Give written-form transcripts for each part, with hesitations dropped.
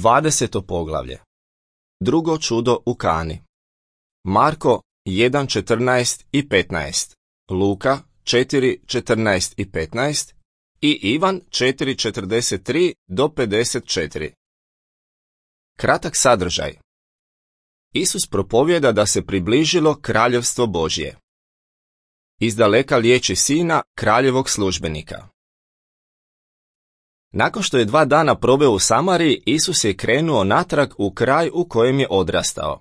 20. poglavlje. Drugo čudo u Kani. Marko 1:14 i 15, Luka 4:14 i 15 i Ivan 4:43 do 54. Kratak sadržaj. Isus propovijeda da se približilo kraljevstvo Božje. Izdaleka liječi sina kraljevog službenika. Nakon što je 2 dana proveo u Samariji, Isus je krenuo natrag u kraj u kojem je odrastao.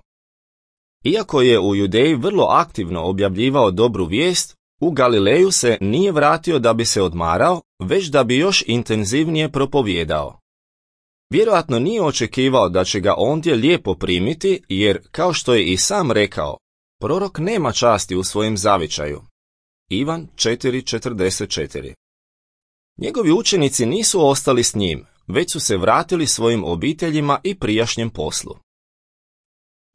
Iako je u Judeji vrlo aktivno objavljivao dobru vijest, u Galileju se nije vratio da bi se odmarao, već da bi još intenzivnije propovijedao. Vjerojatno nije očekivao da će ga ondje lijepo primiti, jer, kao što je i sam rekao, prorok nema časti u svojem zavičaju. Ivan 4:44. Njegovi učenici nisu ostali s njim, već su se vratili svojim obiteljima i prijašnjem poslu.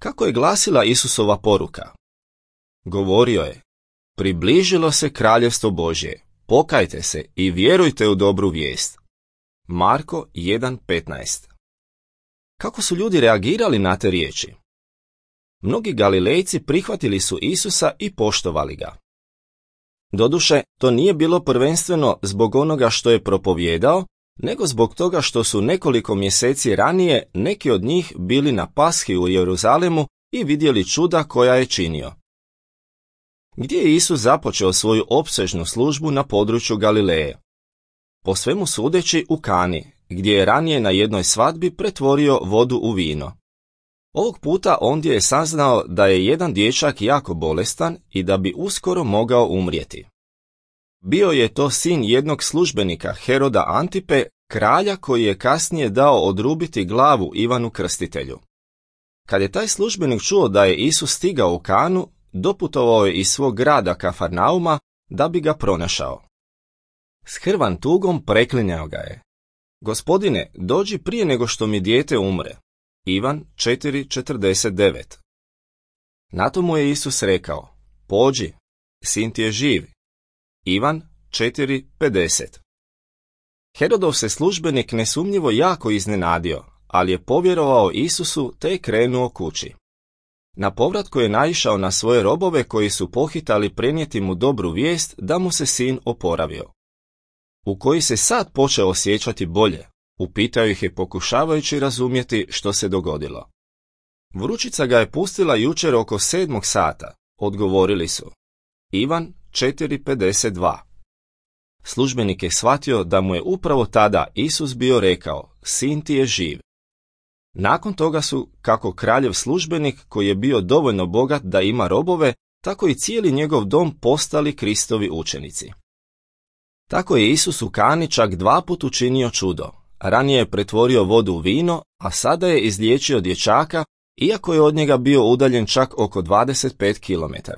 Kako je glasila Isusova poruka? Govorio je: približilo se kraljevstvo Božje, pokajte se i vjerujte u dobru vijest. Marko 1:15. Kako su ljudi reagirali na te riječi? Mnogi Galilejci prihvatili su Isusa i poštovali ga. Doduše, to nije bilo prvenstveno zbog onoga što je propovijedao, nego zbog toga što su nekoliko mjeseci ranije neki od njih bili na Pashi u Jeruzalemu i vidjeli čuda koja je činio. Gdje je Isus započeo svoju opsežnu službu na području Galileje? Po svemu sudeći u Kani, gdje je ranije na jednoj svadbi pretvorio vodu u vino. Ovog puta ondje je saznao da je jedan dječak jako bolestan i da bi uskoro mogao umrijeti. Bio je to sin jednog službenika Heroda Antipe, kralja koji je kasnije dao odrubiti glavu Ivanu Krstitelju. Kad je taj službenik čuo da je Isus stigao u Kanu, doputovao je iz svog grada Kafarnauma da bi ga pronašao. S hrvan tugom preklinjao ga je: Gospodine, dođi prije nego što mi dijete umre. Ivan 4:49. Na to mu je Isus rekao: pođi, sin ti je živ. Ivan 4:50. Herodov se službenik nesumnjivo jako iznenadio, ali je povjerovao Isusu te je krenuo kući. Na povratku je naišao na svoje robove koji su pohitali prenijeti mu dobru vijest da mu se sin oporavio. U koji se sad počeo osjećati bolje, upitao ih je pokušavajući razumjeti što se dogodilo. Vrućica ga je pustila jučer oko 7 sata, odgovorili su. Ivan 4:52. Službenik je shvatio da mu je upravo tada Isus bio rekao: sin ti je živ. Nakon toga su, kako kraljev službenik koji je bio dovoljno bogat da ima robove, tako i cijeli njegov dom postali Kristovi učenici. Tako je Isus u Kani čak 2 puta učinio čudo. Ranije je pretvorio vodu u vino, a sada je izliječio dječaka, iako je od njega bio udaljen čak oko 25 km.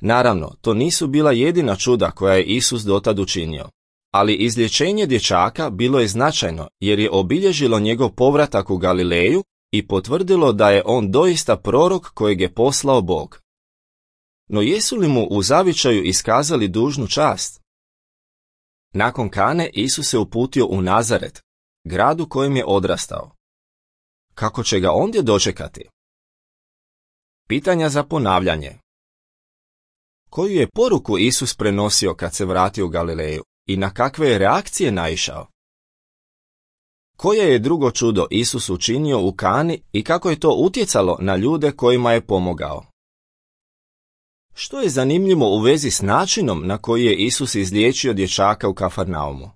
Naravno, to nisu bila jedina čuda koja je Isus dotad učinio, ali izlječenje dječaka bilo je značajno jer je obilježilo njegov povratak u Galileju i potvrdilo da je on doista prorok kojeg je poslao Bog. No jesu li mu u zavičaju iskazali dužnu čast? Nakon Kane Isus se uputio u Nazaret, grad u kojem je odrastao. Kako će ga ondje dočekati? Pitanja za ponavljanje. Koju je poruku Isus prenosio kad se vratio u Galileju i na kakve je reakcije naišao? Koje je drugo čudo Isus učinio u Kani i kako je to utjecalo na ljude kojima je pomogao? Što je zanimljivo u vezi s načinom na koji je Isus izliječio dječaka u Kafarnaumu?